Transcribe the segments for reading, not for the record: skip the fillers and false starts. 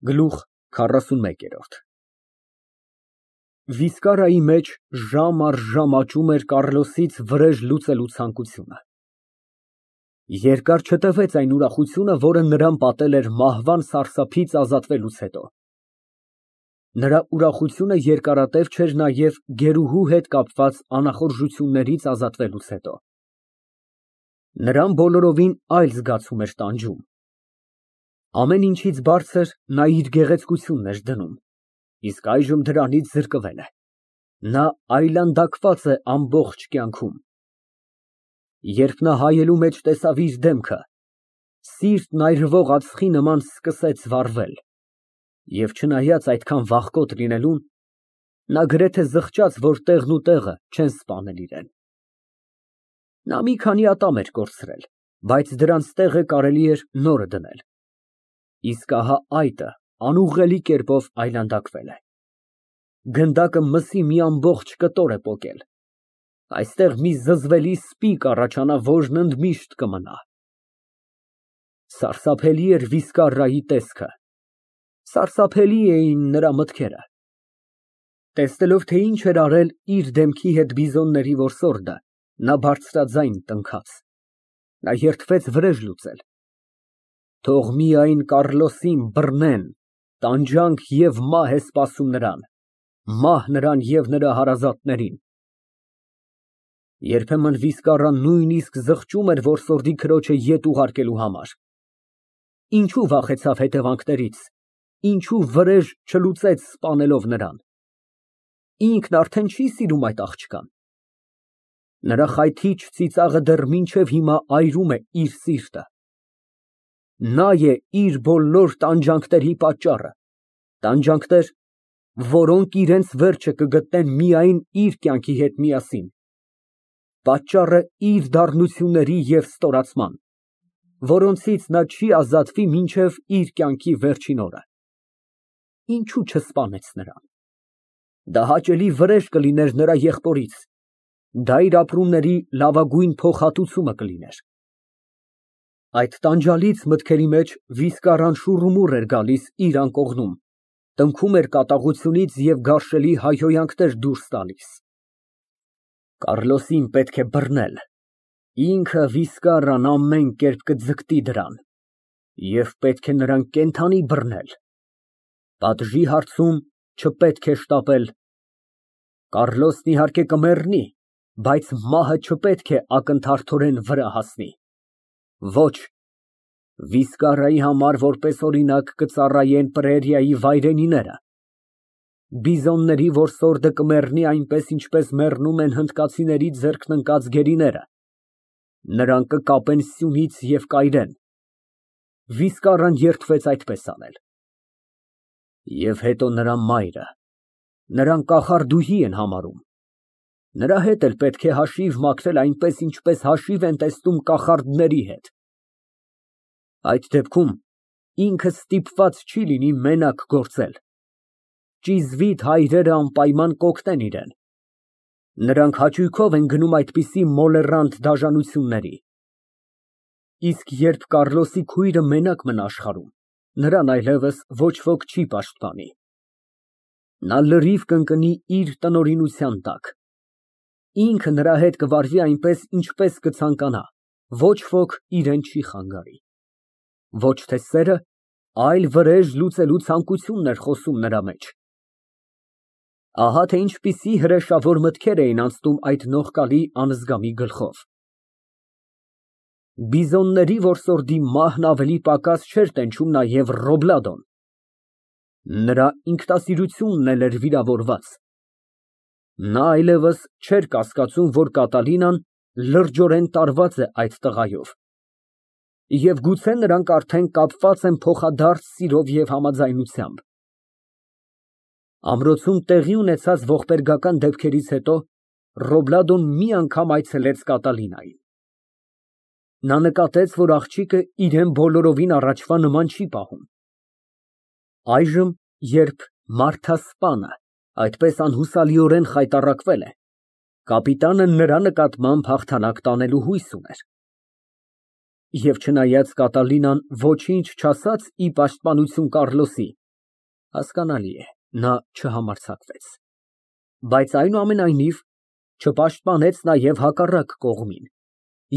Գլուխ 41 Վիսկարայի մեջ ժամ առ ժամ աճում էր Կառլոսից վրեժ լուծելու ցանկությունը։ Երկար չտևեց այն ուրախությունը, որը նրան պատել էր մահվան սարսափից ազատվելուց հետո։ Նրա ուրախությունը երկարատև չէր նաև գերուհու հետ կապված անախորժություններից ազատվելուց հետո։ Նրան բոլորովին այլ զգացում էր տանջում։ Ամեն ինչից բարձր նա իր գեղեցկությունն էր դնում, իսկ այժմ դրանից զրկվել է։ Նա այլանդակված է ամբողջ կյանքում։ Երբ նա հայելու մեջ տեսավ իր դեմքը, սիրտն այրվող ածխի նման սկսեց վառվել, և չնայած այդքան վախկոտ լինելուն, նա գրեթե զղջաց, որ տեղն ու տեղը չեն սպանել իրան։ Նա մի քանի ատամ էր կորցրել, բայց դրանց տեղը կարելի էր նորը դնել։ Իսկ ահա այդը անուղղելի կերպով այլանդակվել է։ Գնդակը մսի մի ամբողջ կտոր է պոկել։ Այստեղ մի զզվելի սպի կառաջանա, որն ընդմիշտ կմնա։ Սարսափելի էր Վիսկարայի տեսքը, սարսափելի էին նրա մտքերը։ Տեսնելով, թե ինչ էր արել իր դեմքի հետ բիզոնների որսորդը, նա բարձրաձայն տնքաց։ Նա երդվեց վրեժ լուծել։ Թող միայն Կառլոսին բռնեն, տանջանք և մահ է սպասում նրան, մահ նրան և նրա հարազատներին։ Երբեմն Վիսկարան նույնիսկ զղջում էր որսորդի քրոջը ետ ուղարկելու համար։ Ինչու վախեցավ հետևանքներից, ինչու վրեժ չլուծեց սպանելով նրան։ Ինքն արդեն չի սիրում այդ աղջկան։ Նրա խայթիչ ծիծաղը դեռ մինչև հիմա այրում է իր սիրտը։ Նա է իր բոլոր տանջանքների պատճառը, տանջանքներ, որոնք իրենց վերջը կգտնեն միայն իր կյանքի հետ միասին, պատճառը իր դառնությունների և ստորացման, որոնցից նա չի ազատվի մինչև իր կյանքի վերջին օրը։ Ինչու չսպանեց նրան։ Դա հաճելի վրեժ կլիներ նրա եղբորից, դա իր ապրումների լավագույն փոխհատուցումը կլիներ։ Այդ տանջալից մտքերի մեջ Վիսկարան շուռումուռ էր գալիս իր անկողնում, տնքում էր կատաղությունից և գարշելի հայհոյանքներ դուրս տալիս։ Կառլոսին պետք է բռնել, ինքը Վիսկարան ամեն կերպ կձգտի դրան, և պետք է նրան կենդանի բռնել։ Պատժի հարցում չպետք է շտապել։ Կառլոսն իհարկե կմեռնի, բայց մահը չպետք է ակնթարթորեն վրա հասնի։ Ոչ, Վիսկարայի համար որպես օրինակ կծառայեն Պրերիայի վայրենիները։ Բիզոնների որսորդը կմեռնի այնպես, ինչպես մեռնում են հնդկացիների ձեռքն ընկած գերիները։ Նրան կկապեն սյունից և կայրեն։ Վիսկարան երդվեց այդպես անել։ Եվ հետո նրա մայրը, նրան կախարդուհի են համարում։ Նրա հետ էլ պետք է հաշիվ մաքրել այնպես, ինչպես հաշիվ են տեսնում կախարդների հետ։ Այդ դեպքում ինքը ստիպված չի լինի մենակ գործել։ Ճիզվիտ հայրերը անպայման կօգնեն իրան։ Նրանք հաճույքով են գնում այդպիսի մոլեռանդ դաժանությունների։ Իսկ երբ Կառլոսի քույրը մենակ մնա աշխարհում, նրան այլևս ոչ ոք չի պաշտպանի։ Նա լրիվ կընկնի իր տնօրինության տակ։ Ինքը նրա հետ կվարվի այնպես, ինչպես կցանկանա, ոչ ոք իրան չի խանգարի։ Ոչ թե սերը, այլ վրեժ լուծելու ցանկությունն էր խոսում նրա մեջ։ Ահա թե ինչպիսի հրեշավոր մտքեր էին անցնում այդ նողկալի անզգամի գլխով։ Բիզոնների որսորդի մահն ավելի պակաս չէր տենչում նաև Ռոբլադոն։ Նրա ինքնասիրությունն էլ էր վիրավորված։ Նա այլևս չէր կասկածում, որ Կատալինան լրջորեն տարված է այդ տղայով։ Եվ գուցե նրանք արդեն կապված են փոխադարձ սիրով և համաձայնությամբ։ Ամրոցում տեղի ունեցած ողբերգական դեպքերից հետո Ռոբլադոն մի անգամ այցելեց Կատալինային։ Նա նկատեց, որ աղջիկը իրան բոլորովին առաջվա նման չի պահում։ Այժմ, երբ մարդասպանը այդպես անհուսալիորեն խայտառակվել է, կապիտանը նրա նկատմամբ հաղթանակ տանելու հույս ուներ։ Եվ չնայած Կատալինան ոչինչ չասաց ի պաշտպանություն Կառլոսի, Հասկանալի է, նա չհամարձակվեց, բայց այնուամենայնիվ չպաշտպանեց նաև հակառակ կողմին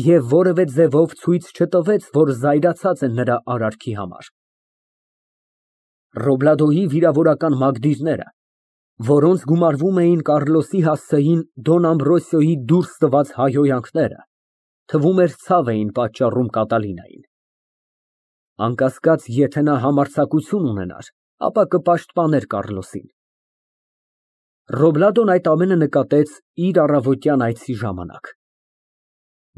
և որևէ ձևով ցույց չտվեց, որ զայրացած է նրա արարքի համար։ Ռոբլադոյի վիրավորական մագդիրները, որոնց գումարվում էին Կառլոսի հասցեին Դոն Ամբրոսիոյի դուրս տված հայհոյանքները, թվում էր ցավ էին պատճառում Կատալինային։ Անկասկած, եթե նա համարձակություն ունենար, ապա կպաշտպաներ Կառլոսին։ Ռոբլադոն այդ ամենը նկատեց իր առավոտյան այցի ժամանակ,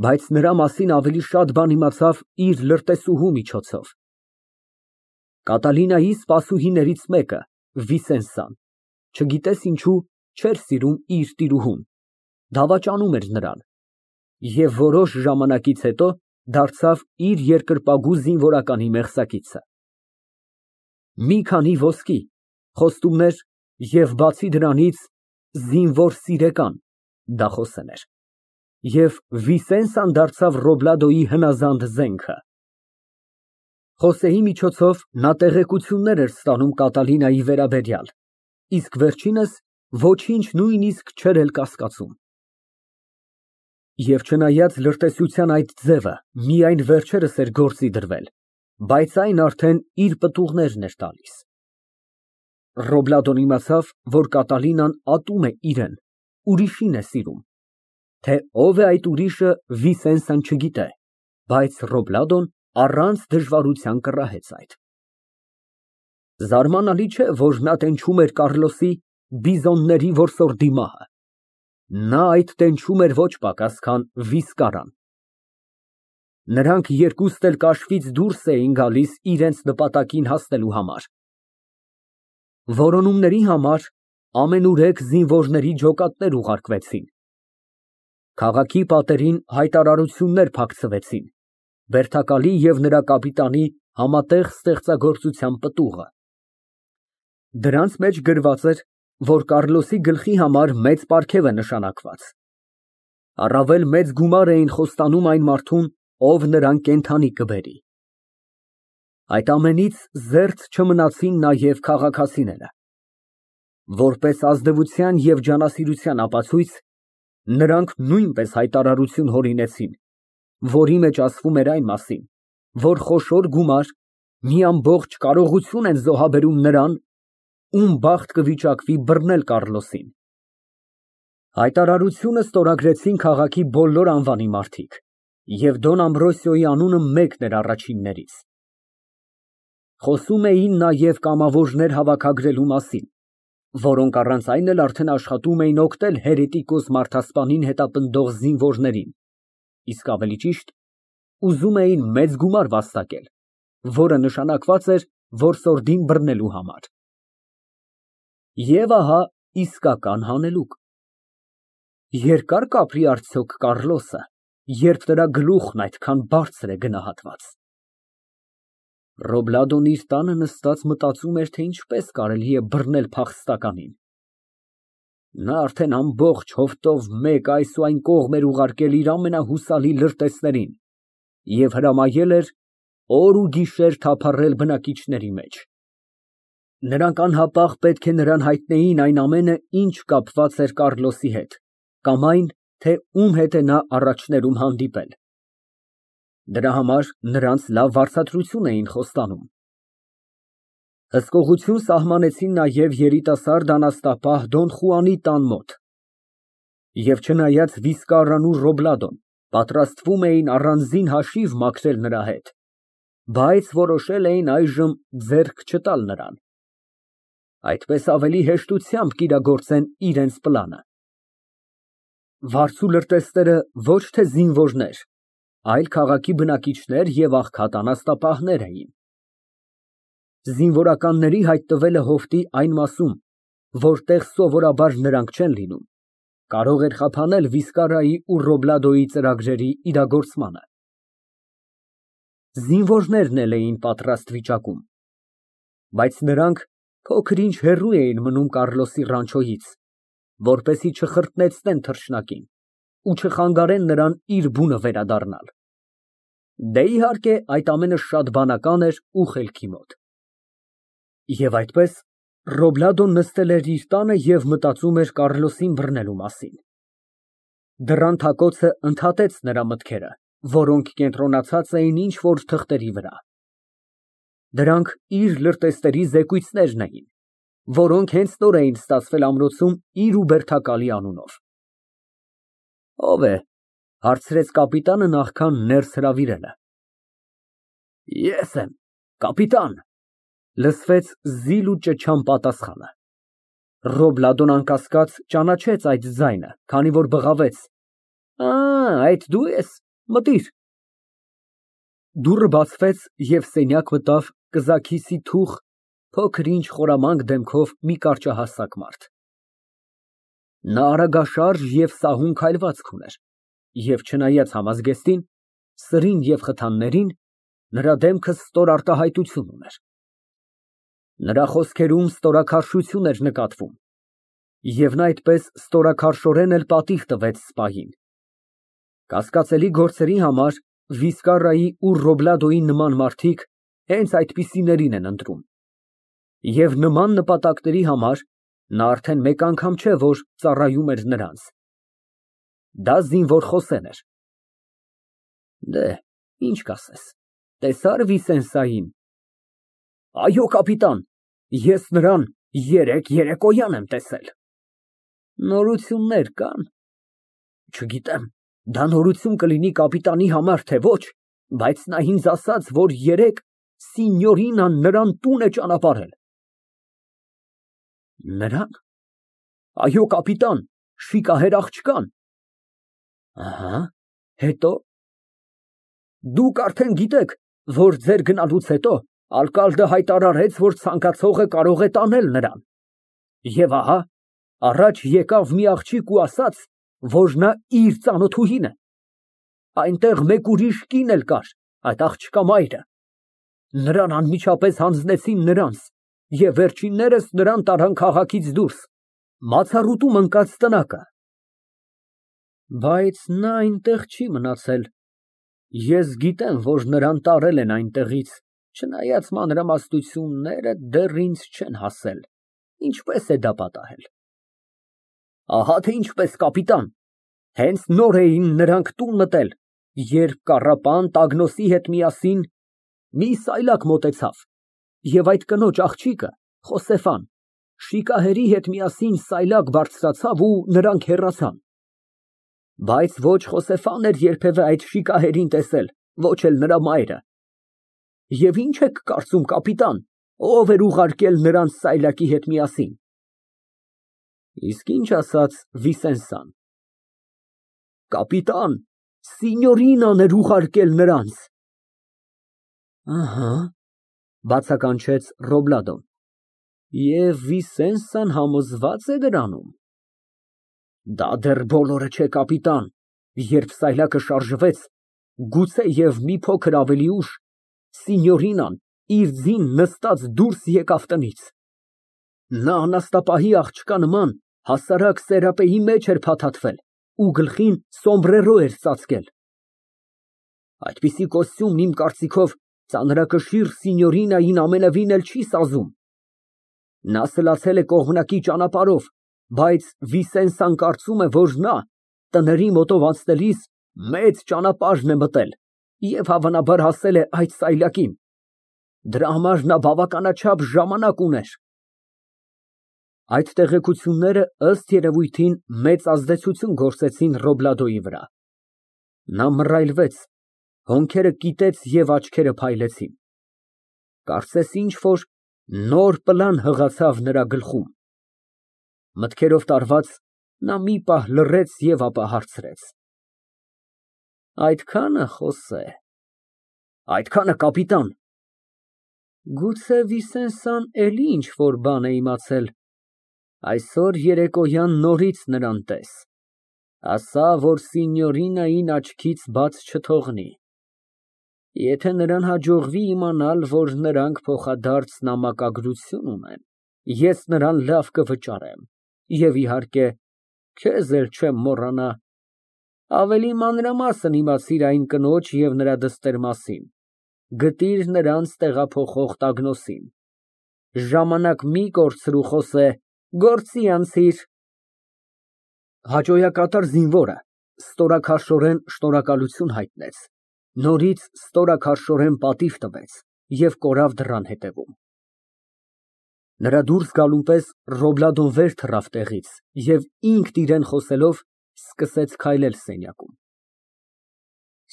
բայց նրա մասին ավելի շատ բան իմացավ իր լրտեսուհու միջոցով։ Կատալինայի սպասուհիներից մեկը, Վիսենսան, չգիտես ինչու, չէր սիրում իր տիրուհուն, դավաճանում էր նրան և որոշ ժամանակից հետո դարձավ իր երկրպագու զինվորականի մեղսակիցը։ Մի քանի ոսկի, խոստումներ և բացի դրանից զինվոր սիրեկան (դախոս) էր, և Վիսենսան դարձավ Ռոբլադոյի հնազանդ զենքը։ Խոսեի միջոցով նա տեղեկություններ էր ստանում Կատալինայի վերաբերյալ, իսկ վերջինս ոչինչ նույնիսկ չէր էլ կասկածում։ Եվ չնայած լրտեսության այդ ձևը միայն վերջերս էր գործի դրվել, բայց այն արդեն իր պտուղներն էր տալիս։ Ռոբլադոն իմացավ, որ Կատալինան ատում է իրան, ուրիշին է սիրում, թե ով է այդ ուրիշը Վիսենսան չգիտե, բայց Ռոբլադոն առանց դժվարության կռահեց այդ։ Զարմանալի չէ, որ նա տենչում էր Կառլոսի բիզոնների որսորդի մահը։ Նա այդ տենչում էր ոչ պակաս, քան Վիսկարան։ Նրանք երկուստ էլ կաշվից դուրս էին գալիս իրենց նպատակին հասնելու համար։ Որոնումների համար ամենուրեք զինվորների ջոկատներ ուղարկվեցին։ Քաղաքի պատերին հայտարարություններ փակցվեցին, Բերթակալի և նրա կապիտանի համատեղ ստեղծագործության պտուղը։ Դրանց մեջ գրված էր, որ Կառլոսի գլխի համար մեծ պարգև է նշանակված։ Առավել մեծ գումար էին խոստանում այն մարդուն, ով նրան կենդանի կբերի։ Այդ ամենից զերծ չմնացին նաև քաղաքացիները։ Որպես ազնվության և ջանասիրության ապացույց, նրանք նույնպես հայտարարություն հորինեցին, որի մեջ ասվում էր այն մասին, որ խոշոր գումար, մի ամբողջ կարողություն են զոհաբերում նրան, ում բախտ կվիճակվի բռնել Կառլոսին։ Հայտարարությունը ստորագրեցին քաղաքի բոլոր անվանի մարդիկ, և Դոն Ամբրոսիոյի անունը մեկն էր առաջիններից։ Խոսում էին նաև կամավորներ հավաքագրելու մասին, որոնք առանց այն էլ արդեն աշխատում էին օգնել հերետիկոս մարդասպանին հետապնդող զինվորներին, իսկ ավելի ճիշտ, ուզում էին մեծ գումար վաստակել, որը նշանակված էր որսորդին բռնելու համար։ Եվ ահա իսկական հանելուկ։ Երկա՞ր կապրի արդյոք Կառլոսը, երբ նրա գլուխն այդքան բարձր է գնահատված։ Ռոբլադոն իր տանը նստած մտածում էր, թե ինչպես կարելի է բռնել փախստականին։ Նա արդեն ամբողջ հովտով մեկ այս ու այն կողմ էր ուղարկել իր ամենահուսալի լրտեսներին և հրամայել էր օր ու գիշեր թափառել բնակիչների մեջ։ Նրանք անհապաղ պետք է նրան հայտնեին այն ամենը, ինչ կապված էր Կառլոսի հետ, կամ այն, թե ում հետ է նա առաջներում հանդիպել։ Դրա համար նրանց լավ վարձատրություն էին խոստանում։ Հսկողություն սահմանեցին նաև երիտասարդ անաստապահ Դոն Խուանի տան մոտ։ Եվ չնայած Վիսկարան ու Ռոբլադոն պատրաստվում էին առանձին հաշիվ մաքրել նրա հետ, բայց որոշել էին այժմ ձեռք չտալ նրան, այդպես ավելի հեշտությամբ կիրագործեն իրենց պլանը։ Վարձու լրտեսները ոչ թե զինվորներ, այլ քաղաքի բնակիչներ և աղքատ անաստապահներ էին։ Զինվորականների հայտնվելը հովտի այն մասում, որտեղ սովորաբար նրանք չեն լինում, կարող էր խափանել Վիսկարայի ու Ռոբլադոյի ծրագրերի իրագործմանը։ Զինվորներն էլ էին պատրաստ վիճակում, բայց նրանք փոքր-ինչ հեռու էին մնում Կառլոսի ռանչոյից, որպեսզի չխրտնեցնեն թռչնակին ու չխանգարեն նրան իր բունը վերադառնալ։ Դե, իհարկե, այդ ամենը շատ բանական էր ու խելքի մոտ։ Եվ այդպես, Ռոբլադոն նստել էր իր տանը և մտածում էր Կառլոսին բռնելու մասին։ Դռան թակոցը ընդհատեց նրա մտքերը, որոնք կենտրոնացած էին ինչ֊որ թղթերի վրա։ Դրանք իր լրտեսների զեկույցներն էին, որոնք հենց նոր էին ստացվել ամրոցում իր ու Բերթակալի անունով։ Ո՞վ է, հարցրեց կապիտանը նախքան ներս հրավիրելը։ Ես եմ, կապիտան, լսվեց զիլ ու ճչան պատասխանը։ Ռոբլադոն անկասկած ճանաչեց այդ ձայնը, քանի որ բղավեց. Այդ դու ես, մտիր։ Դուռը բացվեց և սենյակ մտավ կզաքիսի թուխ, փոքր֊ինչ խորամանկ դեմքով մի կարճահասակ մարդ։ Նա արագաշարժ և սահուն քայլվածք ուներ, և չնայած համազգեստին, սրին և խթաններին, նրա դեմքը ստոր արտահայտություն ուներ։ Նրա խոսքերում ստորաքարշություն էր նկատվում, և նա այդպես ստորաքարշորեն էլ պատիվ տվեց սպային։ Կասկածելի գործերի համար Վիսկարրայի ու Ռոբլադոյի նման մարդիկ հենց այդպիսիներին են ընտրում, և նման նպատակների համար նա արդեն մեկ անգամ չէ, որ ծառայում էր նրանց։ Դա զինվոր Խոսեն էր։ Ինչ կասես, տեսա՞ր Վիսենսային։ Այո, կապիտան, ես նրան երեկոյան եմ տեսել։ Նորություններ կա՞ն։ Չգիտեմ, դա նորություն կլինի կապիտանի համար, թե ոչ, բայց նա ինձ ասաց, որ երեկ Սինյորինան նրան տուն է ճանապարհել։ Նրան։ Այո, կապիտան, շիկահեր աղջկան։ Հետո։ Դուք արդեն գիտեք, որ ձեր գնալուց հետո արկալդը հայտարարեց, որ ցանկացողը կարող է տանել նրան։ Եվ ահա, առաջ եկավ մի աղջիկ ու ասաց, որ նա իր ծանոթուհին է։ Այնտեղ մեկ ուրիշ կին էլ կար, այդ աղջկա մայրը։ Նրան անմիջապես հանձնեցին նրանց և վերջիններս նրան տարան քաղաքից դուրս, մացառուտում ընկած տնակը։ Բայց նա այնտեղ չի մնացել։ Ես գիտեմ, որ նրան տարել են այնտեղից, չնայած մանրամասնությունները դեռ ինձ չեն հասել, ինչպես է դա պատահել։ Ահա թե ինչպես, կապիտան, հենց նոր էին նրանք տուն մտել, երբ կառապան Տագնոսի հետ միասին մի սայլակ մոտեցավ, և այդ կնոջ աղջիկը, Խոսեֆան, շիկահերի հետ միասին սայլակ բարձրացավ ու նրանք հեռացան։ Բայց ոչ Խոսեֆան էր երբևէ այդ շիկահերին տեսել, ոչ էլ նրա մայրը։ Եվ ի՞նչ եք կարծում, կապիտան, ով էր ուղարկել նրանց սայլակի հետ միասին։ Իսկ ի՞նչ ասաց Վիսենսան։ Կապիտան, Սինյորինան էր ուղարկել նրանց։ Ահա, բացականչեց Ռոբլադոն։ Եվ Վիսենսան համոզված է դրանում։ Դա դեռ բոլորը չէ, կապիտան, երբ սայլակը շարժվեց, գուցե և մի փոքր ավելի ուշ, Սինյորինան իր ձին նստած դուրս եկավ տնից։ Նա անաստապահի աղջկա նման հասարակ սերապեի մեջ էր փաթաթվել ու գլխին սոմբրերո էր ծածկել։ Այդպիսի կոստյումն, իմ կարծիքով, ծանրակշիռ Սինյորինային ամենևին էլ չի սազում։ Նա սլացել է կողմնակի ճանապարհով, բայց Վիսենսան կարծում է, որ նա տների մոտով անցնելիս մեծ ճանապարհն է մտել և հավանաբար հասել է այդ սայլակին։ Դրա համար նա բավականաչափ ժամանակ ուներ։ Այդ տեղեկությունները, ըստ երևույթին, մեծ ազդեցություն գործեցին Ռոբլադոյի վրա։ Նա մռայլվեց, հոնքերը կիտեց և աչքերը փայլեցին։ Կարծես ինչ֊որ նոր պլան հղացավ նրա գլխում։ Մտքերով տարված, նա մի պահ լռեց և ապա հարցրեց. Այդքա՞նը, Խոսե։ Այդքանը, կապիտան։ Գուցե Վիսենսան էլի ինչ֊որ բան է իմացել։ Այսօր երեկոյան նորից նրան տես, ասա, որ Սինյորինային աչքից բաց չթողնի։ Եթե նրան հաջողվի իմանալ, որ նրանք փոխադարձ նամակագրություն ունեն, ես նրան լավ կվճարեմ և, իհարկե, քեզ էլ չեմ մոռանա։ Ավելի մանրամասն իմացիր այն կնոջ և նրա դստեր մասին, գտիր նրանց տեղափոխող Տագնոսին։ ժամանակ մի կորցրու խոսե, գործի անցիր։ Հաճոյակատար զինվորը ստորաքաշորեն շնորհակալություն հայտնեց, նորից ստորաքաշորեն պատիվ տվեց և կորավ դռան հետևում։ Նրա դուրս գալուն պես Ռոբլադոն վեր թռավ տեղից և ինքն իրան խոսելով սկսեց քայլել սենյակում։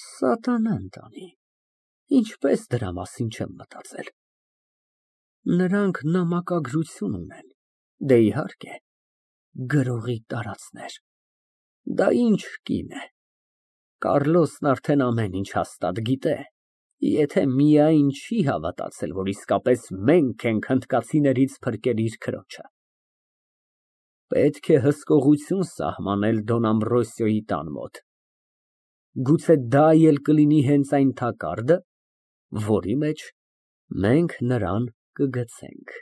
Սատանան տանի, ինչպես դրա մասին չեմ մտածել։ Նրանք նամակագրություն ունեն, դե իհարկե, գրողի տարածներ։ Դա ինչ կին է։ Կառլոսն արդեն ամեն ինչ հաստատ գիտե, եթե միայն չի հավատացել, որ իսկապես մենք ենք հնդկացիներից փրկել իր քրոջը։ Պետք է հսկողություն սահմանել Դոն Ամբրոսիոյի տան մոտ։ Գուցե դա էլ կլինի հենց այն թակարդը, որի մեջ մենք նրան կգցենք։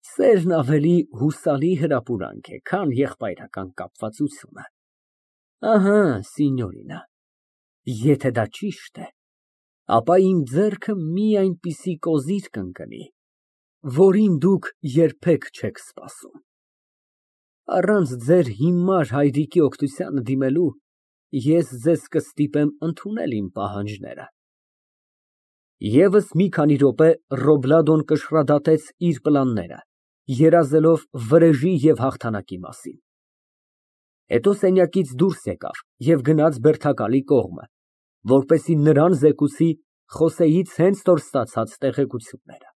Սերն ավելի հուսալի հրապուրանք է, քան եղբայրական կապվածությունը։ Ահա, սինյորինա, եթե դա ճիշտ է, ապա իմ ձեռքը մի այնպիսի կոզիր կընկնի, որին դուք երբեք չեք սպասում։ Առանց ձեր հիմար հայրիկի օգնությանը դիմելու, ես ձեզ կստիպեմ ընդունել իմ պահանջները։ Եվս մի քանի րոպե Ռոբլադոն կշռադատեց իր պլանները, երազելով վրեժի և հաղթանակի մասին։ Հետո սենյակից դուրս եկավ և գնաց բերդակալի կողմը, որպեսզի նրան զեկուցի Խոսեից հենց նոր ստացած տեղեկությունները։